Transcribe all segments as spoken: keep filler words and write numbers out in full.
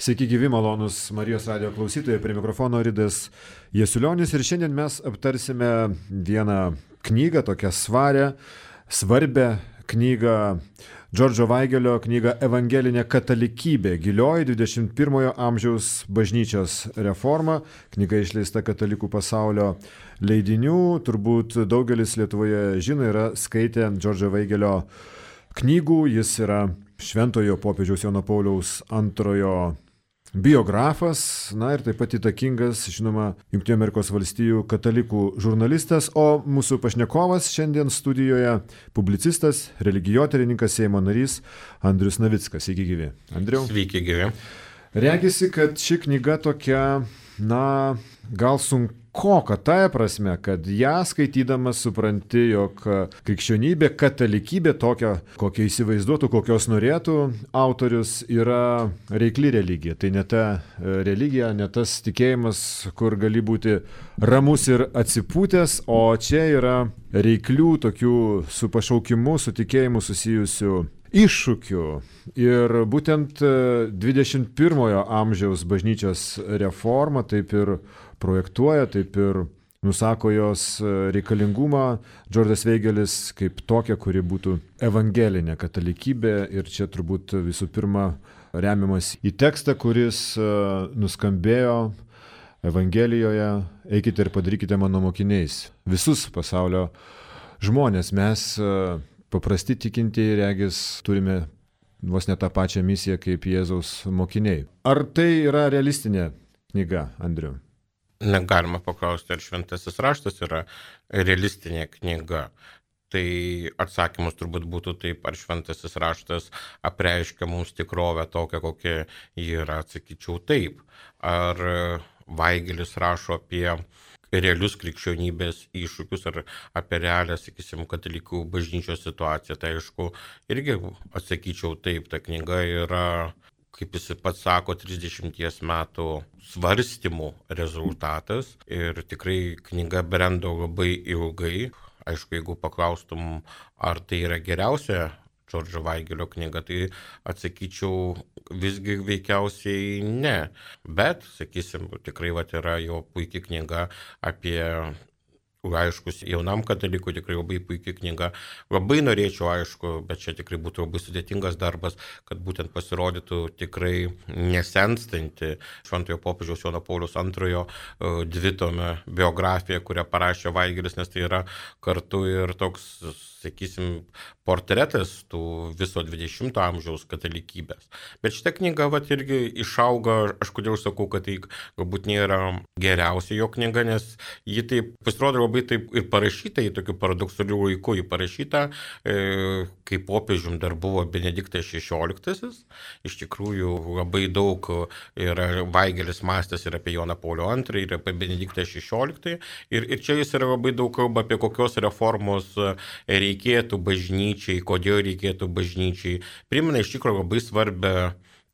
Sveiki gyvi, malonus Marijos radijo klausytojai, prie mikrofono Ridas Jasiulionis ir šiandien mes aptarsime vieną knygą, tokią svarę, svarbę knygą, Džordžo Vaigelio knygą Evangelinė katalikybė, gilioji dvidešimt pirmojo amžiaus bažnyčios reforma. Knyga išleista Katalikų pasaulio leidinių. Turbūt daugelis Lietuvoje žino, yra skaitę Džordžo Vaigelio knygų. Jis yra šventojo popiežiaus Jono Pauliaus antrojo biografas, na ir taip pat įtakingas, žinoma, Jungtinių Amerikos valstijų katalikų žurnalistas, o mūsų pašnekovas šiandien studijoje publicistas, religijotyrininkas, Seimo narys Andrius Navickas. Sveiki gyvi. Andriau. Sveiki gyvi. Regisi, kad ši knyga tokia, na, gal sunkoka tąja prasme, kad ją skaitydamas supranti, jog krikščionybė, katalikybė tokia, kokią įsivaizduotų, kokios norėtų autorius, yra reikli religija. Tai ne ta religija, ne tas tikėjimas, kur gali būti ramus ir atsipūtęs, o čia yra reiklių tokių su pašaukimu, su tikėjimu susijusių iššūkių. Ir būtent dvidešimt pirmojo amžiaus bažnyčios reforma taip ir projektuoja, taip ir nusako jos reikalingumą Džordžas Vaigelis kaip tokia, kuri būtų evangelinė katalikybė. Ir čia turbūt visų pirma remiamas į tekstą, kuris nuskambėjo Evangelijoje: eikite ir padarykite mano mokiniais visus pasaulio žmonės. Mes paprasti tikintieji, regis, turime vos ne tą pačią misiją kaip Jėzaus mokiniai. Ar tai yra realistinė knyga, Andriu? Negalima paklausti, ar šventasis raštas yra realistinė knyga. Tai atsakymas turbūt būtų taip, ar šventasis raštas apreiškia mums tikrovę tokią, kokia ji yra, atsakyčiau taip. Ar Vaigelis rašo apie realius krikščionybės iššūkius ar apie realią, sakysim, katalikų bažnyčios situaciją, tai aišku, irgi atsakyčiau taip. Ta knyga yra, kaip jis pats sako, trisdešimties metų svarstymų rezultatas ir tikrai knyga brendo labai ilgai. Aišku, jeigu paklaustum, ar tai yra geriausia Džordžo Vaigelio knyga, tai atsakyčiau visgi veikiausiai ne. Bet, sakysim, tikrai vat, yra jo puikia knyga apie laiškus jaunam katalikui, tikrai labai puikia knyga. Labai norėčiau, aišku, bet čia tikrai būtų labai sudėtingas darbas, kad būtent pasirodytų tikrai nesenstanti šventojo popiežiaus Jono Pauliaus antrojo dvitomė biografija, kurią parašė Vaigelis, nes tai yra kartu ir toks, sakysim, portretas tų viso dvidešimto amžiaus katalikybės. Bet šitą knygą vat irgi išauga, aš kodėl sakau, kad tai galbūt nėra geriausia jo knyga, nes ji taip pasirodo labai taip ir parašyta į tokių paradoksalių laikų, ji parašyta, e, kai popiežium dar buvo Benediktas šešioliktasis. Iš tikrųjų labai daug yra Vaigelis mąstęs ir apie Joną Paulių antrąjį, ir apie Benediktą šešioliktąjį. Ir, ir čia jis yra labai daug kalba apie kokios reformos reikėtų bažnyčiai, kodėl reikėtų bažnyčiai. Primena iš tikrųjų labai svarbę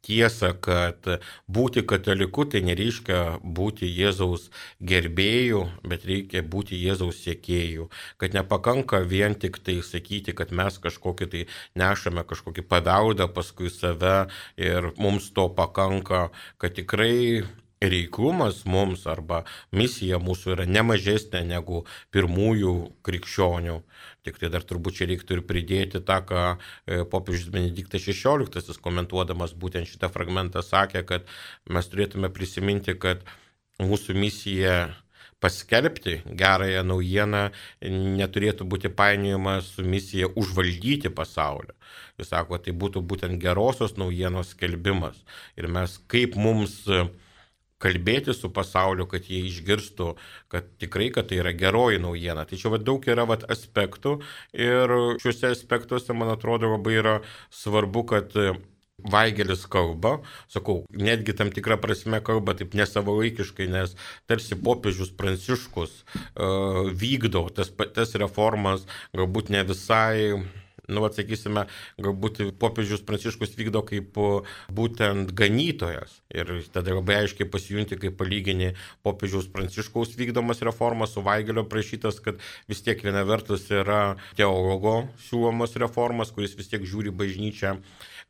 tiesą, kad būti kataliku tai nereiškia būti Jėzaus gerbėjų, bet reikia būti Jėzaus sekėjų. Kad nepakanka vien tik tai sakyti, kad mes kažkokį tai nešame kažkokį paveldą paskui save ir mums to pakanka, kad tikrai reiklumas mums arba misija mūsų yra nemažesnė negu pirmųjų krikščionių. Tik tai dar turbūt čia reiktų ir pridėti tą, ką popiežius Benediktas šešioliktasis komentuodamas būtent šitą fragmentą sakė, kad mes turėtume prisiminti, kad mūsų misija paskelbti gerąją naujieną neturėtų būti painiojama su misija užvaldyti pasaulį. Jis sako, tai būtų būtent gerosios naujienos skelbimas. Ir mes kaip mums kalbėti su pasauliu, kad jie išgirstų, kad tikrai, kad tai yra geroji naujiena. Tai čia va, daug yra va, aspektų ir šiuose aspektuose, man atrodo, labai yra svarbu, kad Vaigelis kalba, sakau, netgi tam tikrą prasme kalba taip nesavalaikiškai, nes tarsi popiežius Pranciškus uh, vykdo tas, tas reformas, galbūt ne visai, nu, atsakysime, galbūt popiežius Pranciškus vykdo kaip būtent ganytojas. Ir tada labai aiškiai pasijunti, kaip palyginį popiežiaus Pranciškaus vykdomas reformas su Vaigelio prašytas, kad vis tiek viena vertus yra teologo siūlomas reformas, kuris vis tiek žiūri bažnyčią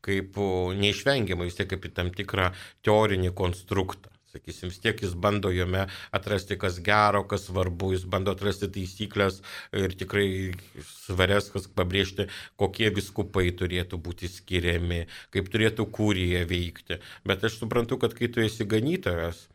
kaip neišvengiamai, vis tiek kaip į tam tikrą teorinį konstruktą. Sakysim, vis tiek jis bando jame atrasti, kas gero, kas svarbu, jis bando atrasti taisyklės ir tikrai svarias, kas pabrėžti, kokie viskupai turėtų būti skiriami, kaip turėtų kurija veikti. Bet aš suprantu, kad kai tu esi ganytojas,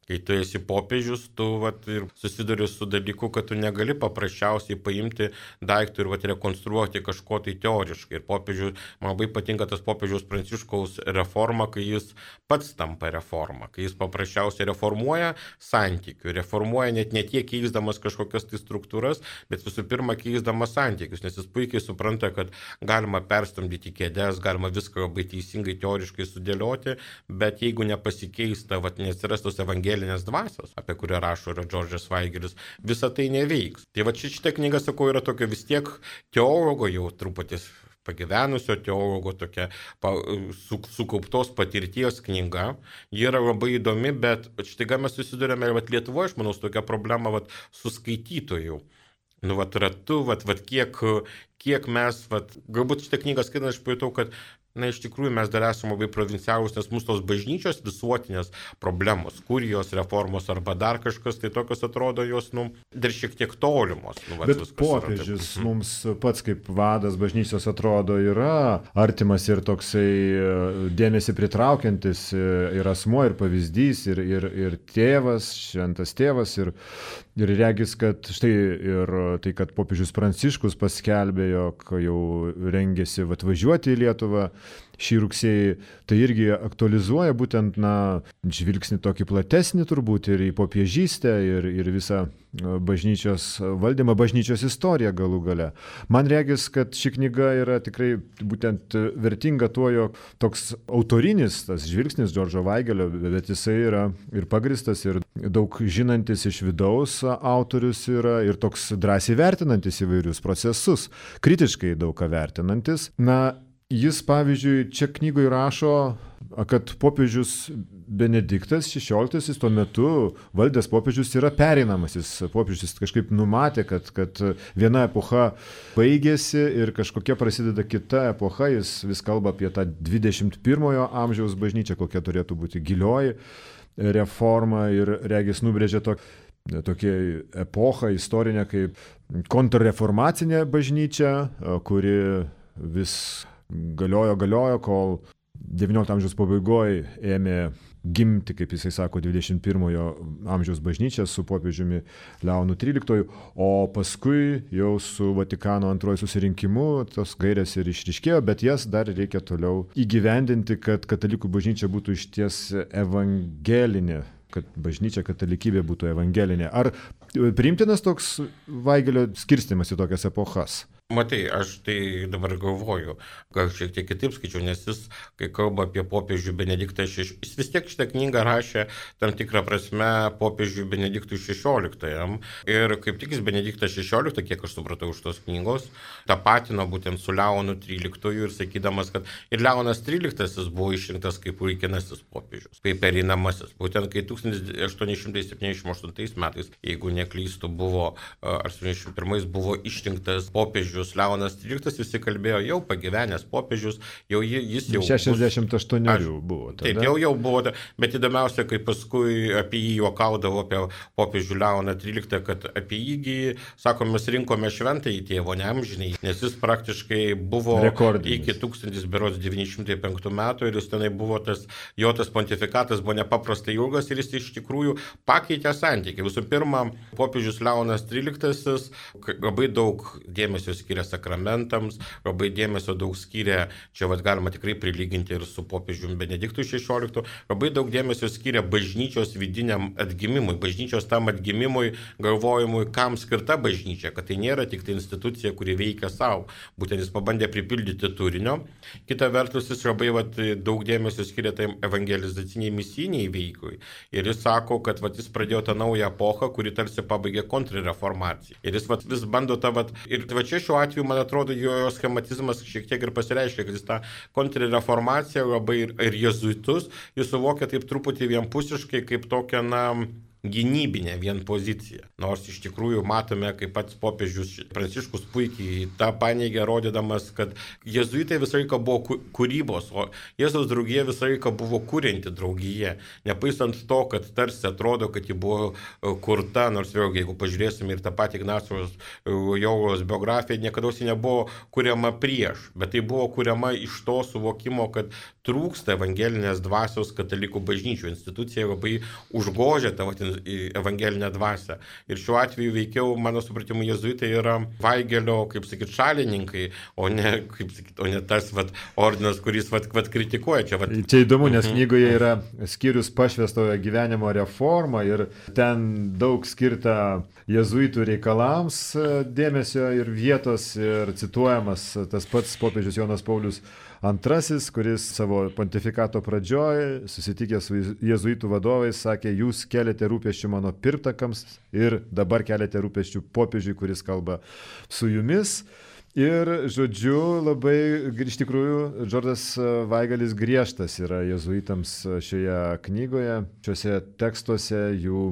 kai tu esi popiežius, tu vat, ir susiduri su dalyku, kad tu negali paprasčiausiai paimti daiktų ir vat, rekonstruoti kažko tai teoriškai. Ir popiežius, man labai patinka tas popiežiaus Pranciškaus reforma, kai jis pats tampa reforma, kai jis paprasčiausiai reformuoja santykių, reformuoja net ne tiek keisdamas kažkokias tai struktūras, bet visų pirma keisdamas santykius, nes jis puikiai supranta, kad galima perstumdyti kėdes, galima viską labai teisingai teoriškai sudėlioti, bet jeigu nepasikeista, vat, neatsiras tos evangelijos dvasios, apie kurią rašo yra Džordžas Vaigelis, visa tai neveiks. Tai va šitą knygą, sakau, yra tokia vis tiek teologo jau truputį pagyvenusio teologo tokia pa, su, sukauptos patirties knyga. Ji yra labai įdomi, bet štai mes susidurėme ir Lietuvoje, aš manau, su tokia problema vat, su skaitytojų. Nu, vat ratu, vat, vat kiek, kiek mes, vat, galbūt šitą knygą skaitant, aš pajutau, kad na, iš tikrųjų mes dar esame labai provincialūs, nes mūsų tos bažnyčios visuotinės problemos, kurijos reformos arba dar kažkas, tai tokios atrodo jos, nu, dar šiek tiek tolimos. Nu, bet popiežius mums pats kaip vadas bažnyčios atrodo yra artimas ir toksai dėmesį pritraukiantis ir asmuo, ir pavyzdys, ir, ir, ir tėvas, šventas tėvas, ir, ir regis, kad štai ir tai, kad popiežius Pranciškus paskelbė, jog jau rengėsi atvažiuoti į Lietuvą šį rugsėjį, tai irgi aktualizuoja būtent, na, žvilgsnį tokį platesnį turbūt ir į popiežystę, ir, ir visą bažnyčios valdymą, bažnyčios istoriją galų gale. Man regis, kad ši knyga yra tikrai būtent vertinga tuo, jog toks autorinis tas žvilgsnis Džordžo Vaigelio, bet jisai yra ir pagristas, ir daug žinantis iš vidaus autorius yra, ir toks drąsiai vertinantis įvairius procesus, kritiškai daug ką vertinantis. Na, jis, pavyzdžiui, čia knygoje rašo, kad popiežius Benediktas šešioliktasis tuo metu valdęs popiežius yra pereinamasis. Popiežius kažkaip numatė, kad, kad viena epocha baigėsi ir kažkokia prasideda kita epocha. Jis vis kalba apie tą dvidešimt pirmojo amžiaus bažnyčią, kokia turėtų būti gilioji reforma, ir regis nubrėžė tokį tokia epocha istorinė kaip kontrreformacinė bažnyčia, kuri vis galiojo, galiojo, kol devyniolikto amžiaus pabaigoje ėmė gimti, kaip jisai sako, dvidešimt pirmojo amžiaus bažnyčia su popiežiumi Leonu tryliktuoju, o paskui jau su Vatikano antrojo susirinkimu tos gairės ir išryškėjo, bet jas dar reikia toliau įgyvendinti, kad katalikų bažnyčia būtų išties evangelinė, kad bažnyčia katalikybė būtų evangelinė. Ar priimtinas toks Vaigelio skirstymas į tokias epochas? Matai, aš tai dabar galvoju, gal šiek tiek kitaip skaičiau, nes jis, kai kalba apie popiežių Benediktą šešioliktąjį, jis vis tiek šitą knygą rašė tam tikrą prasme popiežių Benediktui šešioliktajam. Ir kaip tik jis Benediktą šešioliktą, kiek aš supratau iš tos knygos, tapatino būtent su Leonu tryliktuoju ir sakydamas, kad ir Leonas tryliktasis buvo išrinktas kaip laikinasis popiežius, kaip pereinamasis. Būtent kai tūkstantis aštuoni šimtai septyniasdešimt aštuntais metais, jeigu neklystu, buvo, ar septyniasdešimt pirmais buvo išrinktas popiežius Leonas tryliktasis, visi kalbėjo, jau pagyvenęs popiežius, jau jis jau... šešiasdešimt aštuoni buvo. Tada. Taip, jau jau buvo, bet įdomiausia, kai paskui apie jį juokaudavo apie popiežių Leoną tryliktąjį, kad apie jį, sako, mes rinkome šventąjį tėvo, neamžinai, nes jis praktiškai buvo rekordinis iki tūkstantis devyni šimtai penktų metų ir jis tenai buvo tas, jo tas pontifikatas buvo nepaprastai ilgas ir jis iš tikrųjų pakeitė santykį. Visų pirma, popiežius Leonas tryliktasis labai daug dėmesio skiria sakramentams, labai dėmesio daug skiria, čia vat, galima tikrai prilyginti ir su popiežiumi Benediktu šešioliktu, labai daug dėmesio skiria bažnyčios vidiniam atgimimui, bažnyčios tam atgimimui, galvojimui, kam skirta bažnyčia, kad tai nėra tik tai institucija, kuri veikia savo. Būtent jis pabandė pripildyti turinio. Kita vertus, jis labai vat, daug dėmesio skiria tai evangelizaciniai misijiniai veikui. Ir jis sako, kad vat, jis pradėjo tą naują epochą, kuri tarsi pabaigė kontrreformaciją. Ir jis vat, vis bando tą vat, ir va čia šiuo atveju, man atrodo, jo schematizmas šiek tiek ir pasireiškia, kad jis tą kontrreformaciją labai ir, ir jezuitus, jis suvokia taip truputį vienpusiškai, kaip tokią, na, gynybinė vien pozicija. Nors iš tikrųjų matome, kaip pats popiežius Pranciškus puikiai tą paneigė, rodydamas, kad jėzuitai visą laiką buvo kūrybos, o Jėzaus draugija visą laiką buvo kūrinti draugija. Nepaisant to, kad tarsi atrodo, kad ji buvo kurta, nors vėlgi, jeigu pažiūrėsime ir tą patį Ignacijos Jovaros biografiją, niekada ji nebuvo kuriama prieš, bet tai buvo kuriama iš to suvokimo, kad trūksta evangelinės dvasios katalikų bažnyčių. Institucija labai užgožia tą evangelinę dvasią. Ir šiuo atveju veikiau, mano supratimu, jėzuitai yra Vaigelio, kaip sakyt, šalininkai, o ne, kaip sakyt, o ne tas vat, ordinas, kuris vat, vat, kritikuoja. Čia, vat... čia įdomu, nes knygoje yra skyrius pašvęstojo gyvenimo reforma ir ten daug skirta jėzuitų reikalams dėmesio ir vietos ir cituojamas tas pats popiežius Jonas Paulius Antrasis, kuris savo pontifikato pradžioj, susitikęs su jėzuitų vadovais, sakė, jūs keliate rūpesčių mano pirmtakams ir dabar keliate rūpesčių popiežiui, kuris kalba su jumis. Ir, žodžiu, labai, iš tikrųjų, Džordas Vaigelis griežtas yra jėzuitams šioje knygoje, šiuose tekstuose, jų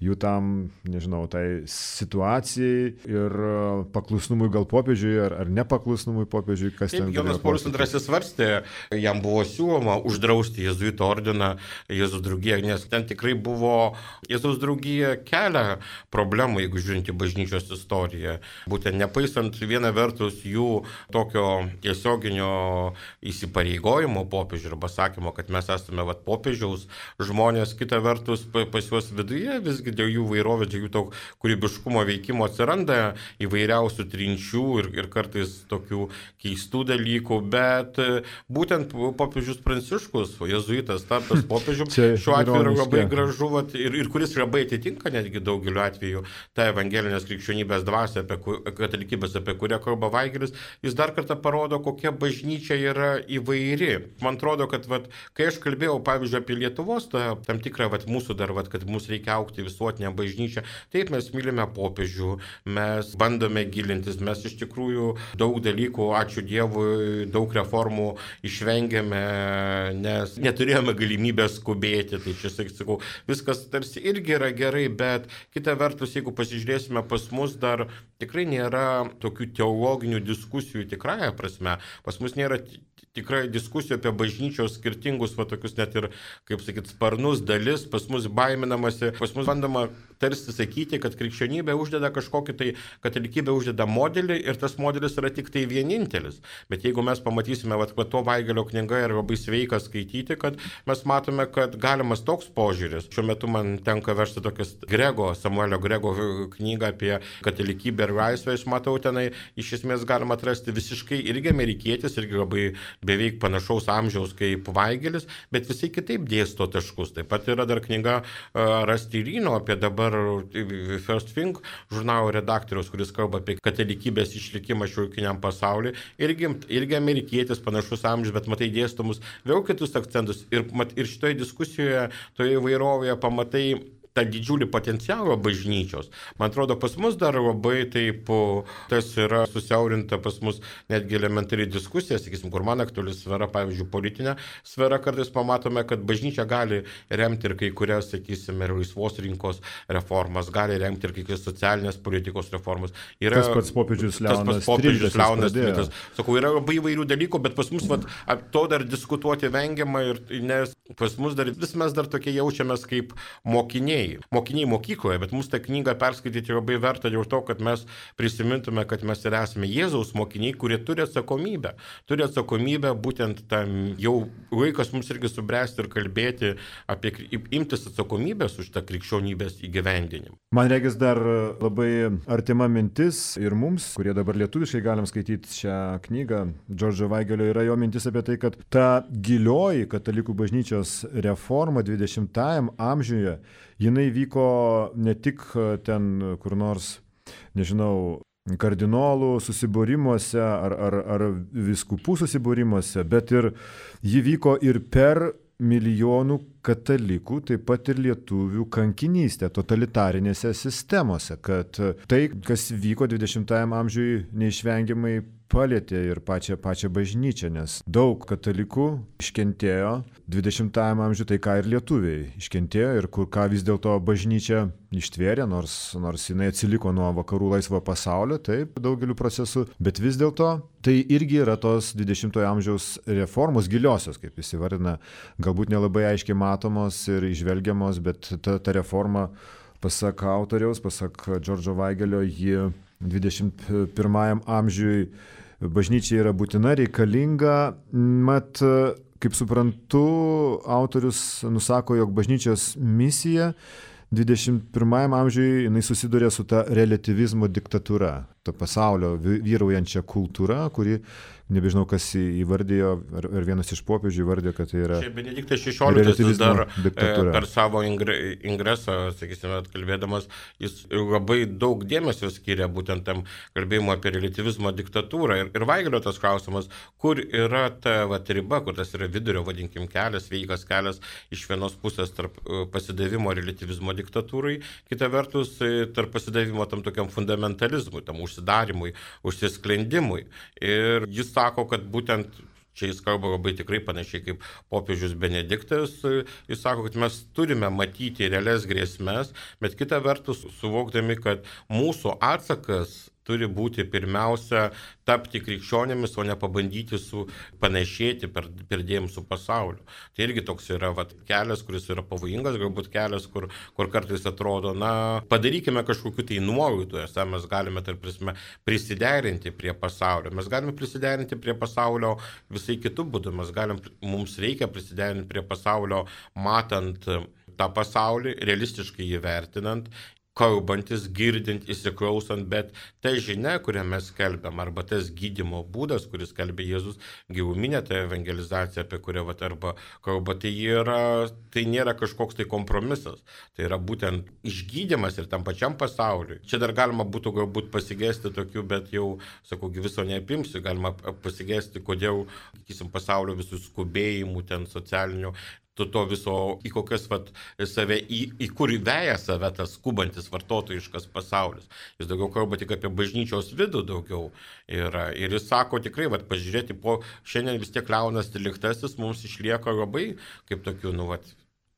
jų tam, nežinau, tai situacijai ir paklusnumui gal popiežiui ar, ar nepaklusnumui popiežiui, kas ten. Jonas Paulius Antrasis svarstė, jam buvo siūloma uždrausti jėzuito ordiną Jėzaus draugiją, nes ten tikrai buvo Jėzaus draugija kelia problemų, jeigu žiūrint į bažnyčios istoriją. Būtent nepaisant viena vertus jų tokio tiesioginio įsipareigojimo popiežiui arba sakymo, kad mes esame vat, popiežiaus žmonės, kita vertus pas juos viduje visgi dėl jų vairovės, dėl jų to kūrybiškumo veikimo atsiranda įvairiausių trinčių ir, ir kartais tokių keistų dalykų, bet būtent popiežius Pranciškus, jėzuitas tapęs popiežium, šiuo atveju yra labai gražu vat, ir, ir kuris labai atitinka netgi daugeliu atveju tą evangelinės krikščionybės dvasią, apie katalikybės, apie kurią kalba Vaigelis, jis dar kartą parodo, kokia bažnyčia yra įvairi. Man atrodo, kad vat, kai aš kalbėjau, pavyzdžiui, apie Lietuvos, tą, tam tikrą vat, mūsų dar, vat, kad mūsų reikia aukti visuotinę bažnyčią. Taip, mes mylime popiežių, mes bandome gilintis, mes iš tikrųjų daug dalykų, ačiū Dievui, daug reformų išvengėme, nes neturėjome galimybės skubėti. Tai čia, sakau, viskas tarsi irgi yra gerai, bet kita vertus, jeigu pasižiūrėsime, pas mus dar tikrai nėra tokių teologinių diskusijų tikrąją prasme. Pas mus nėra tikrai diskusijų apie bažnyčios skirtingus, va tokius net ir, kaip sakyt, sparnus dalis, pas mus baiminamasi, pas mus bandoma tarsi sakyti, kad krikščionybė uždeda kažkokį tai, katalikybė uždeda modelį ir tas modelis yra tik tai vienintelis. Bet jeigu mes pamatysime, va, va to Vaigelio knyga yra labai sveika skaityti, kad mes matome, kad galimas toks požiūris. Šiuo metu man tenka versti tokias Grego, Samuelio Grego knygą apie katalikybę ir laisvę, aš matau tenai, iš esmės galima atrasti visiškai irgi amerikietis, irgi labai beveik panašaus amžiaus kaip Vaigelis, bet visai kitaip dėsto taškus. Taip pat yra dar knyga uh, Rastirino apie dabar First Thing žurnalo redaktorius, kuris kalba apie katalikybės išlikimą šiuolaikiniam pasauliui. Irgi, irgi amerikietis panašus amžius, bet matai dėstomus vėl kitus akcentus. Ir, mat, ir šitoje diskusijoje, toje įvairovėje pamatai tą didžiulį potencialą bažnyčios. Man atrodo, pas mus dar labai taip, tas yra susiaurinta pas mus netgi elementari diskusija, sakysim, kur man aktuali sfera, pavyzdžiui, politinė sfera, kartais pamatome, kad bažnyčia gali remti ir kai kurias, sakysim, ir laisvos rinkos reformas, gali remti ir kai kurias socialinės politikos reformas. Yra, tas pats popiežius Leonas Tridikas. Sakau, yra labai įvairių dalykų, bet pas mus vat, to dar diskutuoti vengiama, ir, nes pas mus dar, vis mes dar tokie jaučiamės kaip mokiniai. Mokiniai mokykloje, bet mūsų tą knygą perskaityti labai verta dėl to, kad mes prisimintume, kad mes ir esame Jėzaus mokiniai, kurie turi atsakomybę. Turi atsakomybę būtent tam, jau laikas mums irgi subręsti ir kalbėti apie, imtis atsakomybės už tą krikščionybės įgyvendinimą. Man regis dar labai artima mintis ir mums, kurie dabar lietuviškai galim skaityti šią knygą, Džordžo Vaigelio, yra jo mintis apie tai, kad ta gilioji katalikų bažnyčios reforma dvidešimtajam amžiuje, jinai vyko ne tik ten kur nors, nežinau, kardinolų susibūrimuose ar, ar, ar vyskupų susibūrimuose, bet ir ji vyko ir per milijonų katalikų, taip pat ir lietuvių kankinystę totalitarinėse sistemose, kad tai, kas vyko dvidešimtajam amžiui, neišvengiamai palietė ir pačią, pačią bažnyčią, nes daug katalikų iškentėjo dvidešimtajame amžiuje, tai ką ir lietuviai iškentėjo ir kur ką vis dėlto bažnyčia ištvėrė, nors, nors jinai atsiliko nuo vakarų laisvo pasaulio, taip, daugeliu procesų, bet vis dėlto tai irgi yra tos dvidešimtojo amžiaus reformos giliosios, kaip jis įvardina, galbūt nelabai aiškiai matomos ir išvelgiamos, bet ta, ta reforma, pasak autoriaus, pasak Džordžo Vaigelio, ji dvidešimt pirmajam amžiui bažnyčiai yra būtina, reikalinga. Mat, kaip suprantu, autorius nusako, jog bažnyčios misija dvidešimt pirmajam amžiui jinai susiduria su ta relativizmo diktatūra, ta pasaulio vyraujančia kultūra, kuri, nebežinau, kas įvardėjo, ar, ar vienas iš popiežių įvardėjo, kad tai yra čia Benediktas šešioliktasis dar diktatūra. Per savo ingresą, sakysime, kalbėdamas, jis labai daug dėmesio skiria būtent tam kalbėjimo apie relativizmo diktatūrą. Ir, ir Vaigelio tas klausimas, kur yra ta vat, riba, kur tas yra vidurio, vadinkim, kelias, sveikas kelias iš vienos pusės tarp pasidavimo relativizmo diktatūrai, kita vertus tarp pasidavimo tam tokiam fundamentalizmui, tam užsidarimui, užsisklendimui. Ir jis sako, kad būtent čia jis kalba labai tikrai panašiai kaip popiežius Benediktas, jis sako, kad mes turime matyti realias grėsmes, bet kita vertus suvokdami, kad mūsų atsakas turi būti pirmiausia tapti krikščionėmis, o ne pabandyti su panašėti per, perdėjim su pasauliu. Tai irgi toks yra vat, kelias, kuris yra pavojingas, galbūt kelias, kur, kur kartais atrodo, na, padarykime kažkokiu tai nuolaidų, esą mes galime, tarp prasme, prisiderinti prie pasaulio. Mes galime prisiderinti prie pasaulio visai kitų būdų, mes galim, mums reikia prisiderinti prie pasaulio, matant tą pasaulį, realistiškai jį vertinant, kalbantis, girdint, įsiklausant, bet ta žinia, kurią mes skelbiam, arba tas gydymo būdas, kuris skelbia Jėzus, giluminė ta evangelizacija, apie kurią vat, arba kalba, tai, yra, tai nėra kažkoks tai kompromisas. Tai yra būtent išgydymas ir tam pačiam pasauliui. Čia dar galima būtų galbūt pasigesti tokių, bet jau, sakau, viso neapimsiu, galima pasigesti, kodėl, sakysim, pasaulio visų skubėjimų, ten socialinių, to, to viso, į kokias vat, save, į, į kur įveja save tas skubantis vartotojiškas pasaulis. Jis daugiau kalba tik apie bažnyčios vidų daugiau yra. Ir jis sako tikrai, vat, pažiūrėti, po šiandien vis tiek Leonas tryliktasis mums išlieka labai kaip tokių, nu, vat,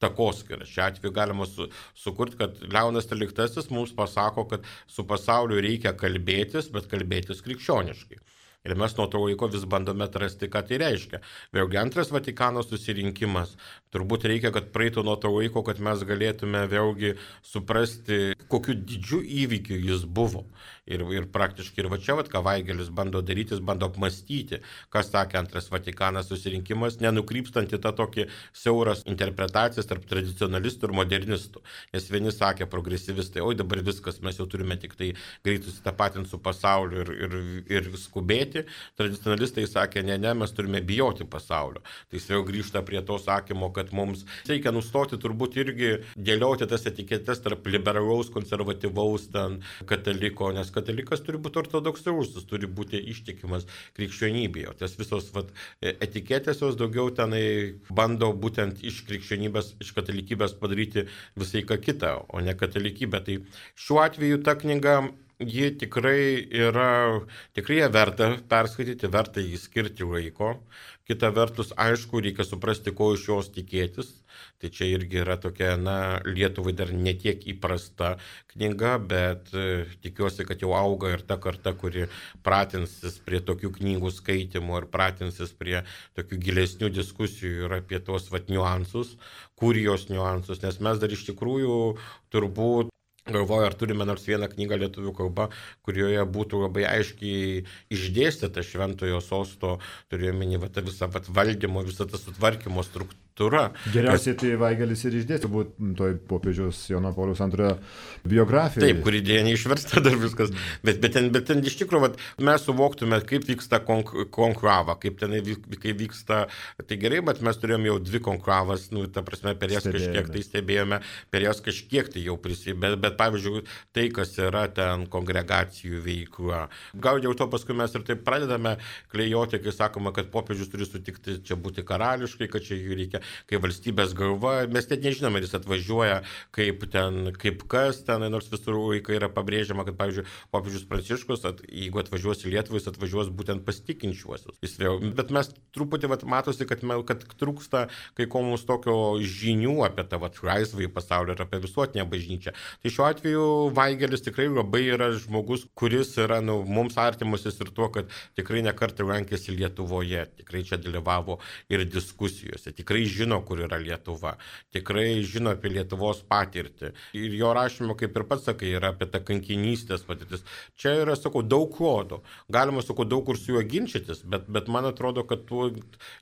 takoskyrą. Šiuo atveju galima su, sukurti, kad Leonas tryliktasis mums pasako, kad su pasauliu reikia kalbėtis, bet kalbėtis krikščioniškai. Ir mes nuo to laiko vis bandome atrasti, ką tai reiškia. Vėlgi antras Vatikano susirinkimas. Turbūt reikia, kad praeitų nuo to laiko, kad mes galėtume vėlgi suprasti, kokiu didžiu įvykiu jis buvo. Ir, ir praktiškai ir va čia, vat, ką Vaigelis bando daryti, jis bando apmastyti, kas sakė antras Vatikanas susirinkimas, nenukrypstant į tą tokį siauras interpretacijas tarp tradicionalistų ir modernistų. Nes vieni sakė progresyvistai, oi dabar viskas, mes jau turime tik tai greit susitapatinti su pasauliu ir, ir, ir skubėti. Tradicionalistai sakė, ne, ne, mes turime bijoti pasaulio. Tai jis vėl grįžta prie to sakymo, kad mums reikia nustoti turbūt irgi dėlioti tas etiketes tarp liberalaus, konservatyvaus ten kataliko, nes katalikas turi būti ortodoksalus, jis turi būti ištikimas krikščionybėje. O tas visos vat, etiketės jos daugiau tenai bando būtent iš krikščionybės, iš katalikybės padaryti visai ką kitą, o ne katalikybę. Tai šiuo atveju ta knyga, ji tikrai yra, tikrai ją verta perskaityti, verta jį skirti laiko. Kita vertus, aišku, reikia suprasti, ko iš jos tikėtis. Tai čia irgi yra tokia, na, Lietuvai dar netiek įprasta knyga, bet e, tikiuosi, kad jau auga ir ta karta, kuri pratinsis prie tokių knygų skaitimų ir pratinsis prie tokių gilesnių diskusijų ir apie tos vat niuansus, kurijos niuansus, nes mes dar iš tikrųjų turbūt galvoju, ar turime nors vieną knygą lietuvių kalba, kurioje būtų labai aiškiai išdėstyta šventojo sosto, turėjomeni va, tą visą vat, valdymo, visą tą sutvarkymo struktūrą. Geriausiai tai Vaigelis ir išdėstė, būt toj popiežiaus Jono Pauliaus antrojo biografijai. Taip, kuri dėja neišversta dar viskas, bet, bet, ten, bet ten iš tikrųjų vat, mes suvoktume, kaip vyksta konk, konklava, kaip ten kaip vyksta, tai gerai, bet mes turėjome jau dvi konklavas, nu, ta prasme, per jas kažkiek tai stebėjome, per jas kažkiek tai jau prisibė, bet, bet pavyzdžiui, tai, kas yra ten kongregacijų veikla. Gal jau to paskui mes ir taip pradedame klejoti, kai sakoma, kad popiežius turi sutikti čia būti karališkai, kad čia jų reikia. kaip valstybės galva, mes net nežinome, ar jis atvažiuoja kaip ten, kaip kas ten, nors visur laikai yra pabrėžiama, kad, pavyzdžiui, popiežius Pranciškus, at, jeigu atvažiuos į Lietuvą, jis atvažiuos būtent pas tikinčiuosius. Jis vėl, bet mes truputį vat, matosi, kad, kad trūksta kai ko mums tokio žinių apie tą vat, laisvąjį pasaulį ir apie visuotinę bažnyčią. Tai šiuo atveju Vaigelis tikrai labai yra žmogus, kuris yra nu, mums artimusis ir tuo, kad tikrai nekartą lankėsi Lietuvoje, tikrai čia dalyvavo ir diskusijose, tikrai žino, kur yra Lietuva, tikrai žino apie Lietuvos patirtį. Ir jo rašymo, kaip ir pats sakai, yra apie tą kankinystės patirtis. Čia yra, sakau, daug klodų. Galima, sakau, daug kur su juo ginčytis, bet, bet man atrodo, kad tu,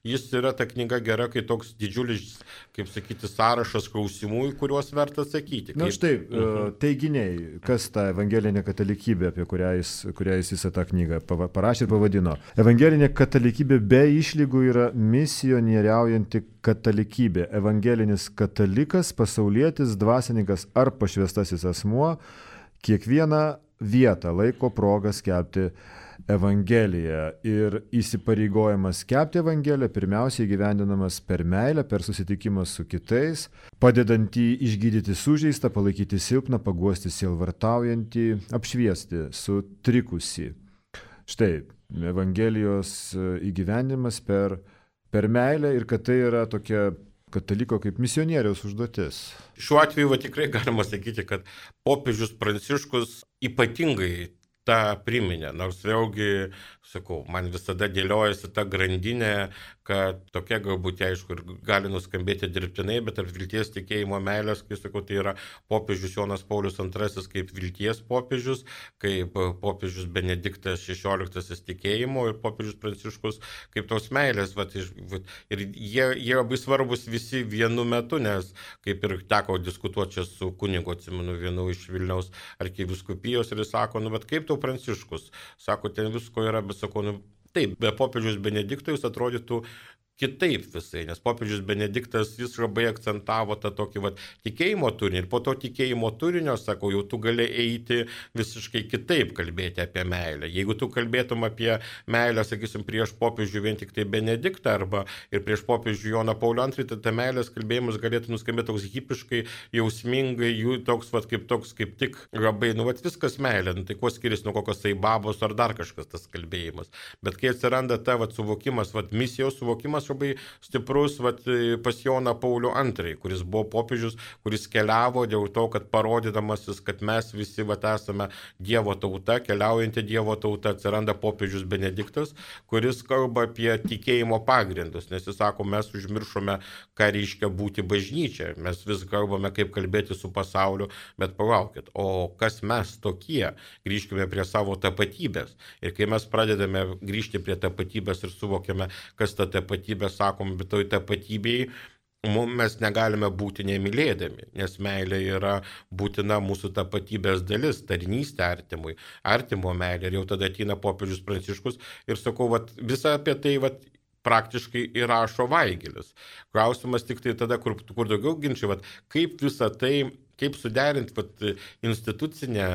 jis yra ta knyga gera, kai toks didžiulis, kaip sakyti, sąrašas klausimų, į kuriuos verta atsakyti. Na štai, uh-huh. teiginiai, kas ta evangelinė katalikybė, apie kurią jis, kurią jis visą tą knygą parašė ir pavadino. Evangelinė katalikybė be išlygų yra misionieriaujanti katalikybė. Evangelinis katalikas, pasaulietis, dvasininkas ar pašvestasis asmuo kiekvieną vietą laiko progą skelbti Evangeliją ir įsipareigojimas skelbti Evangeliją pirmiausiai įgyvendinamas per meilę, per susitikimą su kitais, padedant jį išgydyti sužeistą, palaikyti silpną, paguosti sielvartaujantį, apšviesti sutrikusį. Štai, Evangelijos įgyvendinimas per, per meilę ir kad tai yra tokia kataliko kaip misionieriaus užduotis. Šiuo atveju va, tikrai galima sakyti, kad popiežius Pranciškus ypatingai tą priminė, nors vėlgi, sakau, man visada dėliojasi ta grandinė, kad tokia galbūt, aišku, ir gali nuskambėti dirbtinai, bet tarp vilties, tikėjimo, meilės, kai sakau, tai yra popiežius Jonas Paulius antrasis kaip vilties popiežius, kaip popiežius Benediktas šešioliktasis tikėjimo ir popiežius Pranciškus kaip tos meilės. Vat, ir jie, jie labai svarbus visi vienu metu, nes kaip ir teko diskutuoti čia su kunigu, atsimenu, vienu iš Vilniaus arkivyskupijos ir jis sako, nu, bet kaip tau Pranciškus? Sako, ten visko yra, bet sako, nu, taip, be popiežius Benedikto jis atrodytų kitaip visai, nes popiežius Benediktas jis labai akcentavo tą tokį vat, tikėjimo turinį ir po to tikėjimo turinio, sakau, jau tu gali eiti visiškai kitaip kalbėti apie meilę. Jeigu tu kalbėtum apie meilę, sakysim, prieš popiežių vien tik tai Benediktą arba ir prieš popiežių Joną Paulių antrąjį, tai ta meilės kalbėjimas galėtų nuskambėti toks hipiškai, jausmingai, jų toks, vat, kaip toks, kaip tik labai, nu, vat, viskas meilė, nu, tai kuo skiriasi nuo kokios tai babos ar dar kažkas tas kalbėjimas. Bet kai atsiranda ta vat, suvokimas, vat, misijos suvokimas, labai stiprus vat, pas Joną Paulių antrąjį, kuris buvo popiežius, kuris keliavo dėl to, kad parodydamasis, kad mes visi vat, esame Dievo tauta, keliaujanti Dievo tauta, atsiranda popiežius Benediktas, kuris kalba apie tikėjimo pagrindus, nes jis sako, mes užmiršome, ką reiškia būti bažnyčia, mes vis kalbame, kaip kalbėti su pasauliu, bet palaukit, o kas mes tokie, grįžkime prie savo tapatybės. Ir kai mes pradedame grįžti prie tapatybės ir suvokiame, kas ta tapatybė, sakom, bet toj tapatybėj mes negalime būti nemylėdami, nes meilė yra būtina mūsų tapatybės dalis, tarnystė artimui, artimo meilė. Ir jau tada ateina popiežius Pranciškus ir sakau, vat, visą apie tai vat, praktiškai įrašo Vaigelis. Klausimas tik tai tada, kur, kur daugiau ginčiai, vat, kaip visą tai, kaip suderinti vat, institucinę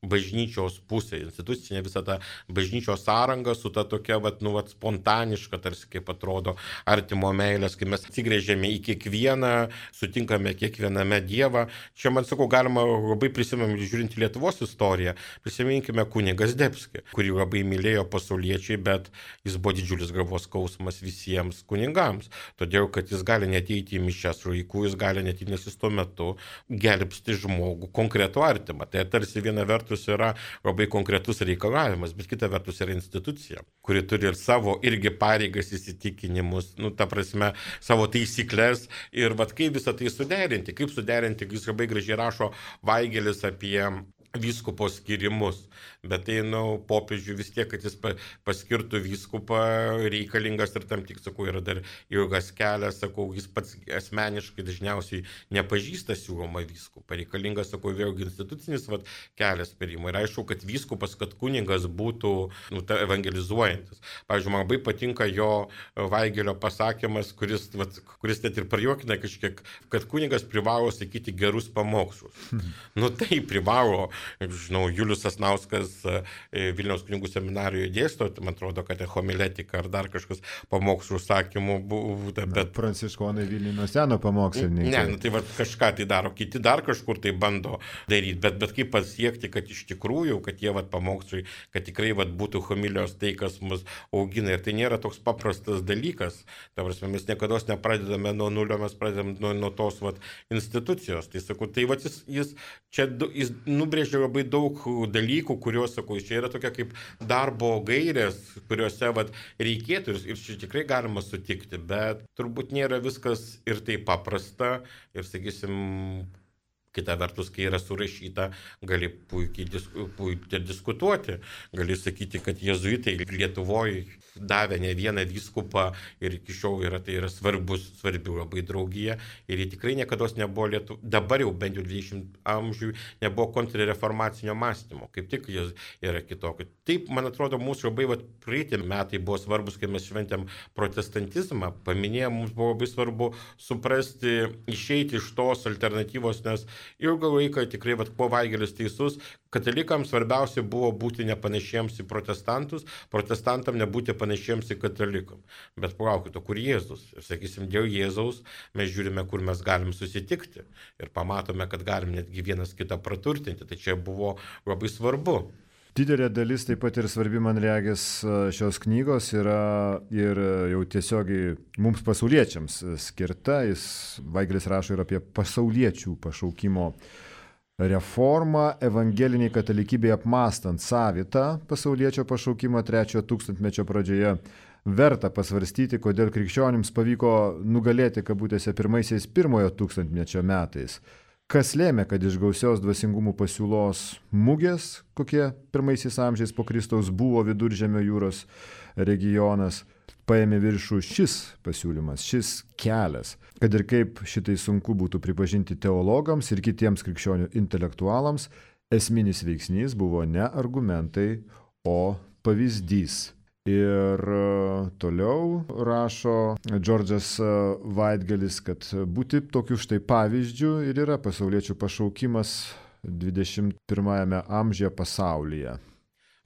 bažnyčios pusė, institucinė visą tą bažnyčios sąrangą su ta tokia vat, nu, vat, spontaniška, tarsi kaip atrodo artimo meilės, kai mes atsigrėžėme į kiekvieną, sutinkame kiekviename Dievą. Čia, man sakau, galima labai prisiminti, žiūrint į Lietuvos istoriją, prisiminkime kunigą Zdebskį, kurį labai mylėjo pasauliečiai, bet jis buvo didžiulis galvos skausmas visiems kunigams, todėl, kad jis gali neteiti į mišias laikų, jis gali neteiti, nes jis tuo metu gelbsti žmogų, konkretų artimą. Tai tarsi viena vertus yra labai konkretus reikalavimas, bet kita vertus yra institucija, kuri turi ir savo irgi pareigas, įsitikinimus, nu, ta prasme, savo taisyklės ir vat kaip visą tai suderinti, kaip suderinti, jis labai gražiai rašo Vaigelis apie vyskupo skirimus, bet tai, nu, popiežiui vis tiek, kad jis paskirtų vyskupą reikalingas ir tam tik, sakau, yra dar ilgas kelias, sakau, jis pats asmeniškai dažniausiai nepažįsta siūlomą vyskupą, reikalingas, sakau, vėlgi institucinis vat, kelias perimo. Ir aišku, kad vyskupas, kad kunigas būtų, nu, ta, evangelizuojantis. Pavyzdžiui, man labai patinka jo Vaigelio pasakymas, kuris, vat, kuris net ir parjuokina kažkiek, kad kunigas privalo sakyti gerus pamokslus. Nu, tai privalo žinau, Julius Sasnauskas Vilniaus kunigų seminarijoje dėsto, man atrodo, kad homiletika ar dar kažkas pamokslų užsakymų buvo. Bet... Pranciškonai Vilniuje nuo seno pamokslininkai. Ne, nu, tai va, kažką tai daro, kiti dar kažkur tai bando daryti, bet, bet kaip pasiekti, kad iš tikrųjų, kad jie vat, pamokslai, kad tikrai vat, būtų homilijos tai, kas mus augina. Ir tai nėra toks paprastas dalykas. Ta prasme, mes niekada nepradedame nuo nulio, mes pradedame nuo, nuo tos vat, institucijos. Tai sakau, tai vat, jis, jis čia jis nubrėžia labai daug dalykų, kuriuos, sakau, čia yra tokia kaip darbo gairės, kuriuose vat, reikėtų ir čia tikrai galima sutikti, bet turbūt nėra viskas ir taip paprasta ir, sakysim, kita vertus, kai yra surašyta, gali puikiai, disku, puikiai diskutuoti, gali sakyti, kad jėzuitai Lietuvoje davė ne vieną vyskupą ir iki šiol yra, tai yra svarbus, svarbi labai draugija ir jie tikrai niekada nebuvo Lietuvoje, dabar jau bent jau dvidešimtam amžiui nebuvo kontrreformacinio mąstymo, kaip tik jis yra kitokio. Taip, man atrodo, mūsų labai vat, praeitį metai buvo svarbus, kai mes šventėm protestantizmą, paminėjom, mums buvo labai svarbu suprasti, išeiti iš tos alternatyvos, nes ilgą laiką tikrai, vat, kuo Vaigelis teisus, katalikams svarbiausia buvo būti nepanašiems į protestantus, protestantam nebūti panašiems į katalikam. Bet palaukite, kur Jėzus? Ir sakysim, dėl Jėzaus mes žiūrime, kur mes galim susitikti ir pamatome, kad galim netgi vienas kitą praturtinti. Tai čia buvo labai svarbu. Didelė dalis taip pat ir svarbi, man regis, šios knygos yra ir jau tiesiogiai mums pasauliečiams skirta. Jis, Vaigelis rašo ir apie pasauliečių pašaukimo reformą evangeliniai katalikybei apmąstant savitą pasauliečio pašaukimą trečiojo tūkstantmečio pradžioje. Verta pasvarstyti, kodėl krikščionims pavyko nugalėti kabutėse pirmaisiais pirmojo tūkstantmečio metais. Kas lėmė, kad iš gausios dvasingumų pasiūlos mugės, kokie pirmaisiais amžiais po Kristaus buvo Viduržemio jūros regionas, paėmė viršų šis pasiūlymas, šis kelias, kad ir kaip šitai sunku būtų pripažinti teologams ir kitiems krikščionių intelektualams, esminis veiksnys buvo ne argumentai, o pavyzdys. Ir toliau rašo Džordžas Vaitgelis, kad būti tokiu štai pavyzdžiu ir yra pasauliečių pašaukimas dvidešimt pirmajame amžiuje pasaulyje.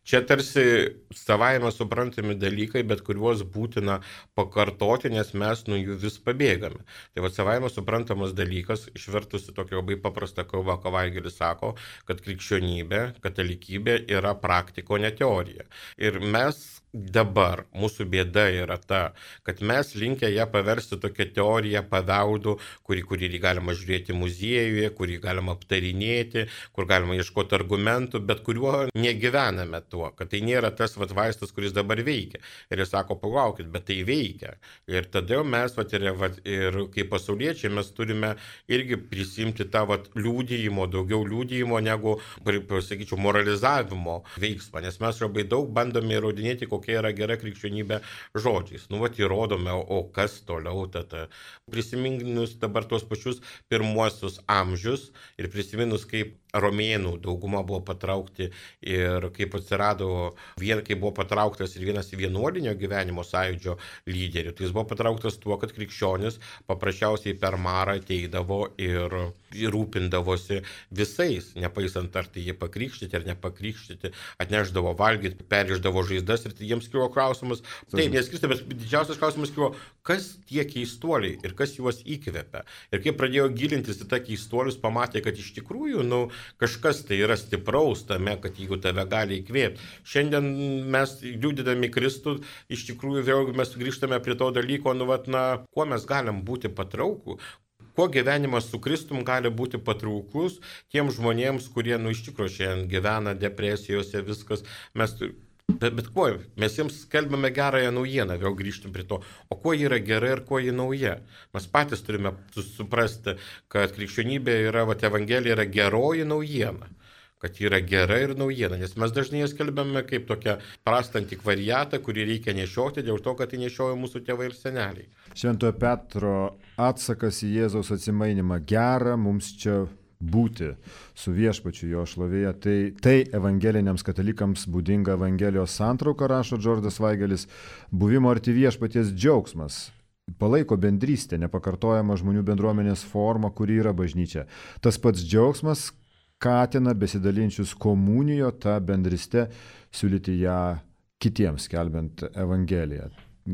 Čia tarsi savaime suprantami dalykai, bet kuriuos būtina pakartoti, nes mes nuo jų vis pabėgame. Tai va savaime suprantamas dalykas, išvertusi tokia labai paprasta kalba, ką Vaigelis sako, kad krikščionybė, katalikybė yra praktiko, ne teorija. Ir mes dabar, mūsų bėda yra ta, kad mes linkę ją paversti tokią teoriją paveldų, kurį, kurį galima žiūrėti muziejuje, kurį galima aptarinėti, kur galima ieškoti argumentų, bet kuriuo negyvename tuo, kad tai nėra tas vat, vaistas, kuris dabar veikia. Ir jis sako, palaukit, bet tai veikia. Ir tada mes, vat, ir, vat, ir kaip pasauliečiai, mes turime irgi prisimti tą vat, liūdėjimo, daugiau liūdėjimo negu, pasakyčiau, moralizavimo veiksmą, nes mes labai daug bandome įrodinėti, kokia yra gera krikščionybė žodžiais. Nu, vat įrodome, o kas toliau tada. Prisiminus dabar tuos pačius pirmuosius amžius ir prisiminus, kaip romėnų dauguma buvo patraukti ir kaip atsirado, vien, kaip buvo patrauktas ir vienas vienuolinio gyvenimo sąjūdžio lyderių. Tai jis buvo patrauktas tuo, kad krikščionis paprasčiausiai per marą ateidavo ir rūpindavosi visais, nepaisant ar tai jie pakrikštyti ar nepakrikštyti, atneždavo valgyti, periždavo žaizdas ir jiems kilo klausimas, taip, neskirsta, bet didžiausias klausimas kilo, kas tie keistuoliai ir kas juos įkvepia. Ir kai pradėjo gilintis į tą keistuolius, pamatė, kad iš tikrųjų, nu, kažkas tai yra stipraus tame, kad jeigu tave gali įkvėpti. Šiandien mes liudydami Kristų, iš tikrųjų vėl mes grįžtame prie to dalyko, nu, vat, na, kuo mes galim būti patraukų, kuo gyvenimas su Kristum gali būti patrauklus tiems žmonėms, kurie, nu, iš tikrųjų šiandien gyvena depresijose, viskas, mes, bet, bet kuo, mes jiems skelbiame gerąją naujieną, vėl grįžtum prie to, o kuo ji yra gera ir kuo ji nauja. Mes patys turime suprasti, kad krikščionybė yra, va, Evangelija yra geroji naujiena, kad yra gera ir naujiena, nes mes dažnai jas skelbiame kaip tokią prastą antikvariatą, kurį reikia nešioti dėl to, kad tai nešioja mūsų tėvai ir seneliai. Šventojo Petro atsakas į Jėzaus atsimainimą: gera mums čia būti su viešpačiu jo šlovėje. Tai, tai evangeliniams katalikams būdinga Evangelijos santrauka, rašo Džordžas Vaigelis, buvimo arti viešpaties džiaugsmas. Palaiko bendrystę, nepakartojama žmonių bendruomenės forma, kuri yra bažnyčia. Tas pats džiaugsmas, skatina besidalinčius komunijo tą bendrystę siūlyti ją kitiems, skelbiant Evangeliją.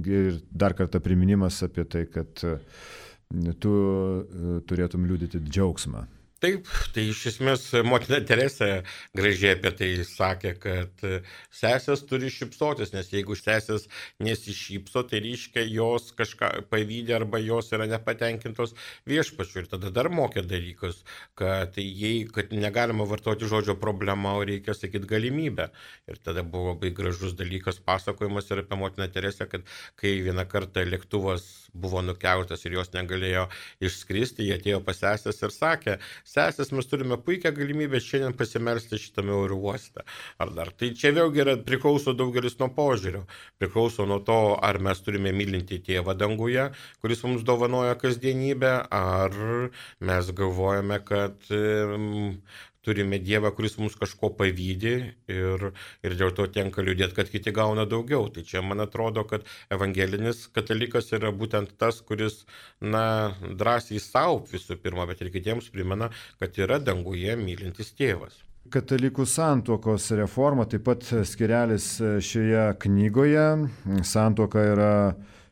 Ir dar kartą priminimas apie tai, kad tu turėtum liudyti džiaugsmą. Taip, tai iš esmės motina Teresė gražiai apie tai sakė, kad sesės turi šypsotis, nes jeigu sesės nesišypso, tai reiškia jos kažką pavydė arba jos yra nepatenkintos viešpačiu. Ir tada dar mokė dalykus, kad, jei, kad negalima vartoti žodžio problema, o reikia sakyti galimybę. Ir tada buvo labai gražus dalykas pasakojimas ir apie motiną Teresę, kad kai vieną kartą lėktuvas buvo nukeltas ir jos negalėjo išskristi, jie atėjo pas sesės ir sakė, sesės, mes turime puikią galimybę šiandien pasimelsti šitame oro uoste. Ar dar. Tai čia vėlgi yra, priklauso daugelis nuo požiūrio. Priklauso nuo to, ar mes turime mylinti tėvą danguje, kuris mums dovanoja kasdienybę, ar mes galvojame, kad um, turime Dievą, kuris mums kažko pavydi ir, ir dėl to tenka liūdėti, kad kiti gauna daugiau. Tai čia man atrodo, kad evangelinis katalikas yra būtent tas, kuris, na, drąsiai savo visų pirma, bet ir kitiems primena, kad yra danguje mylintis tėvas. Katalikų santuokos reforma, taip pat skirelis šioje knygoje. Santuoka yra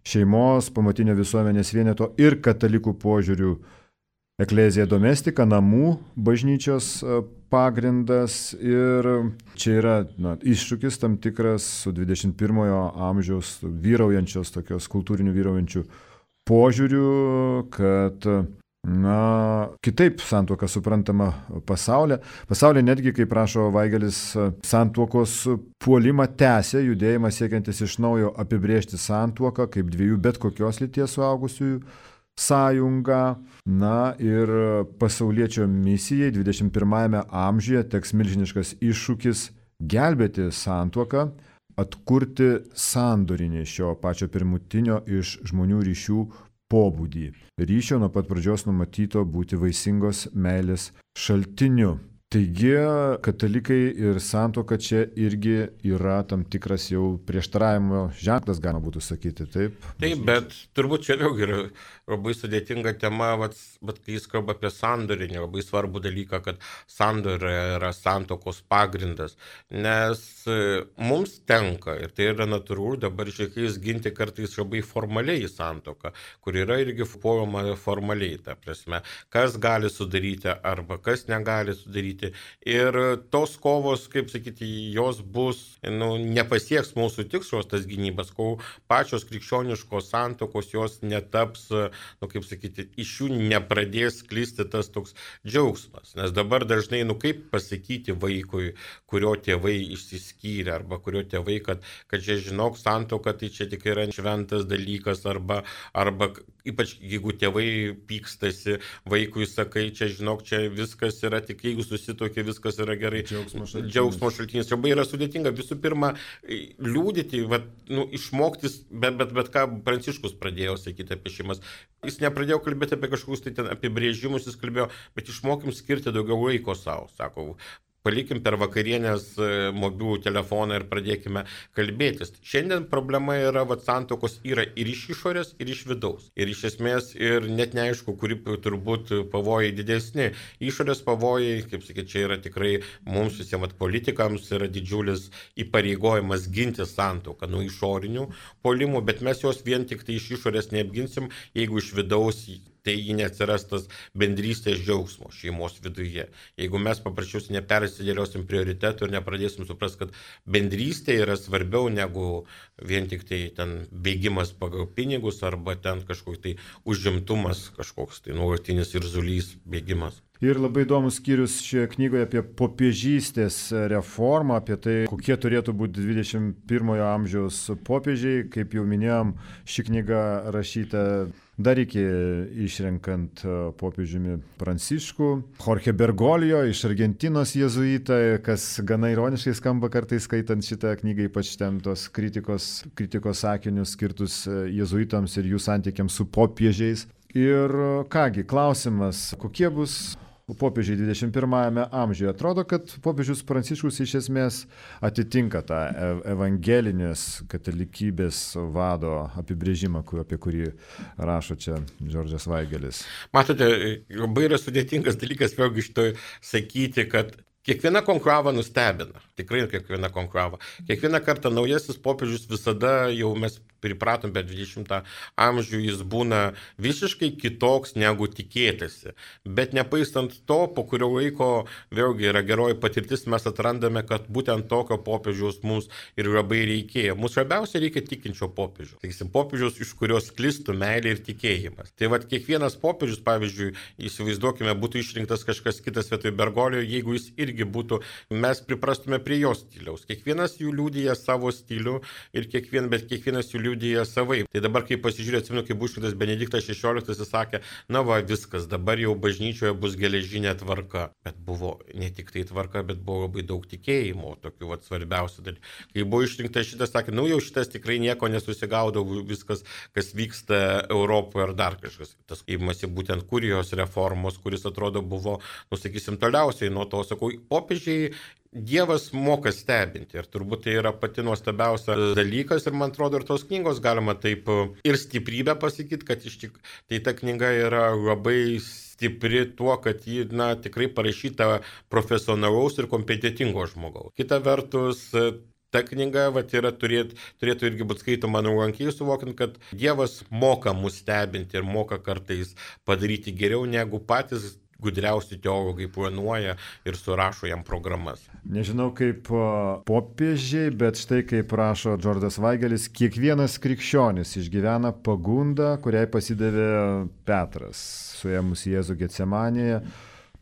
šeimos, pamatinio visuomenės vieneto ir katalikų požiūrių Eklezija domestika, namų bažnyčios pagrindas, ir čia yra na, iššūkis tam tikras su dvidešimt pirmojo amžiaus vyraujančios, tokios kultūrinių vyraujančių požiūrių, kad na, kitaip santuoka suprantama pasaulyje. Pasaulyje netgi, kaip rašo Vaigelis, santuokos puolimą tęsia judėjimą siekiantis iš naujo apibrėžti santuoką kaip dviejų bet kokios lyties suaugusiųjų sąjunga. Na ir pasauliečio misijai dvidešimt pirmajame amžiuje teks milžiniškas iššūkis gelbėti santuoką, atkurti sandorinį šio pačio pirmutinio iš žmonių ryšių pobūdį. Ryšio nuo pat pradžios numatyto būti vaisingos meilės šaltiniu. Taigi, katalikai ir santuoka čia irgi yra tam tikras jau prieštaravimo ženklas, galima būtų sakyti, taip? Taip, bet turbūt čia vėlgi yra labai sudėtinga tema, bet, bet kai jis kalba apie sandorinį, labai svarbų dalyką, kad sandorė yra santuokos pagrindas, nes mums tenka, ir tai yra natūralu, dabar šiais ginti kartais labai formaliai santuoką, kur yra irgi formuojama formaliai, ta prasme, kas gali sudaryti arba kas negali sudaryti. Ir tos kovos, kaip sakyti, jos bus, nu, nepasieks mūsų tikslos tas gynybas, kol pačios krikščioniškos santuokos jos netaps, nu, kaip sakyti, iš jų nepradės sklisti tas toks džiaugsmas. Nes dabar dažnai, nu, kaip pasakyti vaikui, kurio tėvai išsiskyrė, arba kurio tėvai, kad, kad čia žinok, santuoka tai čia tik yra šventas dalykas, arba, arba ypač jeigu tėvai pykstasi, vaikui sakai, čia žinok, čia viskas yra tik jeigu susitokia, viskas yra gerai. Džiaugsmo šaltinis. Džiaugsmo šaltinis. Labai yra sudėtinga. Visų pirma, liūdyti, vat, nu, išmoktis, bet, bet, bet ką Pranciškus pradėjo sakyti apie šeimas. Jis nepradėjo kalbėti apie kažkokius tai ten apibrėžimus, jis kalbėjo, bet išmokim skirti daugiau laiko savo, sako. Palikim per vakarienės mobilų telefoną ir pradėkime kalbėtis. Šiandien problema yra, kad santuokos yra ir iš išorės, ir iš vidaus. Ir iš esmės, ir net neaišku, kuri turbūt pavojai didesni. Išorės pavojai, kaip sakyti, čia yra tikrai mums visiems politikams yra didžiulis įpareigojimas ginti santuoką nuo išorinių puolimų, bet mes jos vien tik tai iš išorės neapginsim, jeigu iš vidaus tai neatsiras tas bendrystės džiaugsmo šeimos viduje. Jeigu mes paprasčiausiai nepersidėliosim prioritetų ir nepradėsim suprasti, kad bendrystė yra svarbiau negu vien tik tai ten bėgimas pagal pinigus arba ten kažkoks tai užimtumas, kažkoks tai nuolatinis irzulys bėgimas. Ir labai įdomus skyrius šioje knygoje apie popiežystės reformą, apie tai, kokie turėtų būti dvidešimt pirmojo amžiaus popiežiai. Kaip jau minėjom, ši knyga rašyta dar iki išrenkant popiežiumi Pranciškų. Jorge Bergoglio iš Argentinos jėzuitą, kas gana ironiškai skamba kartais skaitant šitą knygą, ypač ten tos kritikos, kritikos sakinius skirtus jėzuitams ir jų santykiams su popiežiais. Ir kągi, klausimas, kokie bus popiežiai dvidešimt pirmajame amžiuje. Atrodo, kad popiežius Pranciškus iš esmės atitinka tą evangelinės katalikybės vado apibrėžimą, apie kurį rašo čia Džordžas Vaigelis. Matote, labai yra sudėtingas dalykas vėlgi šitoj sakyti, kad kiekviena konklava nustebina, tikrai kiekviena konklava. Kiekvieną kartą naujasis popiežius visada, jau mes pripratom, bet dvidešimtą amžių jis būna visiškai kitoks negu tikėtasi. Bet nepaistant to, po kurio laiko vėlgi yra geroji patirtis, mes atrandame, kad būtent tokio popiežiaus mums ir labai reikėjo. Mums svarbiausia reikia tikinčio popiežiaus. Taigi, popiežiaus, iš kurios sklistų meilė ir tikėjimas. Tai vad kiekvienas popiežius, pavyzdžiui, įsivaizduokime, būtų išrinktas kažkas kitas vietoj Bergolio, jeigu jis irgi būtų, mes priprastume prie jo stiliaus. Kiekvienas jų liudija savo stilių ir kiekvien, bet kiekvienas jų liudija savaip. Tai dabar, kai pasižiūrėjau, atsimenu, kai buvo išrinktas Benediktas šešioliktas, jis sakė, na va, viskas, dabar jau bažnyčioje bus geležinė tvarka. Bet buvo ne tik tai tvarka, bet buvo labai daug tikėjimo, tokių vat svarbiausių dalykų. Kai buvo išrinktas šitas, sakė, nu jau šitas tikrai nieko nesusigaudavo, viskas, kas vyksta Europoje ar dar kažkas. Tas įmasi būtent kurijos reformos, kuris atrodo buvo, nu sakysim, toliausiai nuo to, sakau, popiežiai Dievas moka stebinti ir turbūt tai yra pati nuostabiausia dalykas ir man atrodo ir tos knygos galima taip ir stiprybę pasakyti, kad iš tik tai ta knyga yra labai stipri tuo, kad ji na, tikrai parašyta profesionalaus ir kompetitingo žmogaus. Kita vertus, ta knyga vat, yra, turėt, turėtų irgi būti skaitoma nuolankiai, suvokiant, kad Dievas moka mus stebinti ir moka kartais padaryti geriau negu patys gudriausi teologai planuoja ir surašo jam programas. Nežinau kaip popiežiai, bet štai kaip rašo Džordas Vaigelis, kiekvienas krikščionis išgyvena pagundą, kuriai pasidavė Petras, suėmus Jėzų Getsemanėje,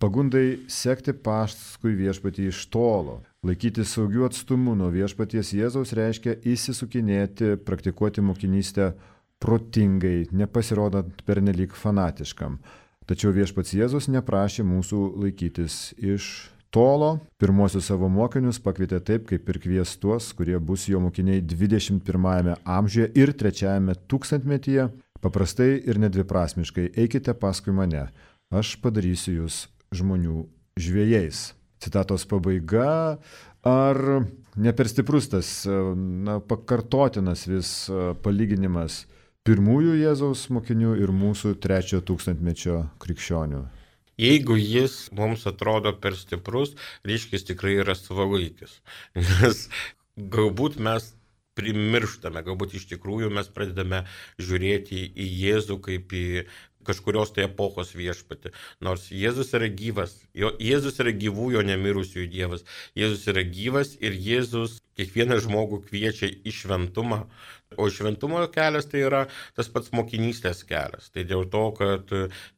pagundai sekti paskui viešpatį iš tolo. Laikyti saugių atstumų nuo viešpaties Jėzaus reiškia įsisukinėti, praktikuoti mokinystę protingai, nepasirodant pernelyg fanatiškam. Tačiau viešpats Jėzus neprašė mūsų laikytis iš tolo. Pirmosius savo mokinius pakvietė taip, kaip ir kvies tuos, kurie bus jo mokiniai dvidešimt pirmajame amžiuje ir trečiajame tūkstantmetyje. Paprastai ir nedviprasmiškai eikite paskui mane, aš padarysiu jūs žmonių žvejais. Citatos pabaiga. Ar ne per stiprus tas na, pakartotinas vis palyginimas pirmųjų Jėzaus mokinių ir mūsų trečiojo tūkstantmečio krikščionių? Jeigu jis mums atrodo per stiprus, reiškia jis tikrai yra savalaikis. Nes galbūt mes primirštame, galbūt iš tikrųjų mes pradedame žiūrėti į Jėzų kaip į kažkurios tai epochos viešpatį. Nors Jėzus yra gyvas, jo, Jėzus yra gyvųjų nemirusiųjų Dievas. Jėzus yra gyvas ir Jėzus kiekvieną žmogų kviečia į šventumą. O šventumo kelias tai yra tas pats mokinystės kelias. Tai dėl to, kad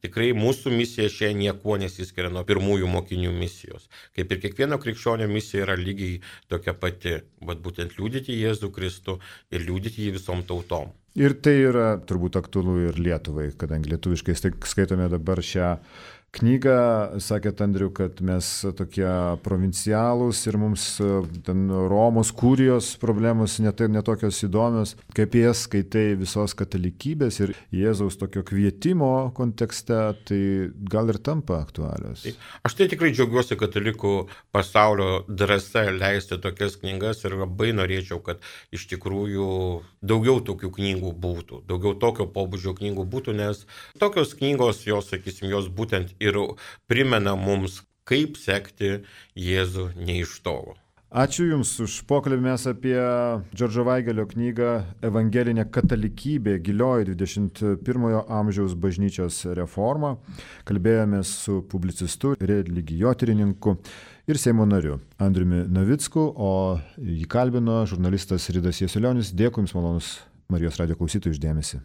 tikrai mūsų misija šiandien niekuo nesiskiria nuo pirmųjų mokinių misijos. Kaip ir kiekvieno krikščionio misija yra lygiai tokia pati, bet būtent liudyti Jėzų Kristų ir liudyti jį visom tautom. Ir tai yra turbūt aktualu ir Lietuvai, kadangi lietuviškai skaitome dabar šią knygą, sakėt Andriu, kad mes tokie provincialūs ir mums ten Romos kurijos problemos net, netokios įdomios, kaip jas skaitai visos katalikybės ir Jėzaus tokio kvietimo kontekste, tai gal ir tampa aktualios. Aš tai tikrai džiaugiuosi katalikų pasaulio drąsa leisti tokias knygas ir labai norėčiau, kad iš tikrųjų daugiau tokių knygų būtų, daugiau tokio pobūdžio knygų būtų, nes tokios knygos, jos, sakysim, jos būtent ir primena mums, kaip sekti Jėzų ne iš tolo. Ačiū Jums už pokalbį. Mes apie Džordžo Vaigelio knygą Evangelinė katalikybė gilioji dvidešimt pirmojo amžiaus bažnyčios reforma kalbėjomės su publicistu, religijotyrininku ir Seimo nariu Andriumi Navicku, o jį kalbino žurnalistas Ridas Jasiulionis. Dėkui Jums, malonus Marijos radijo klausytojų, už dėmesį.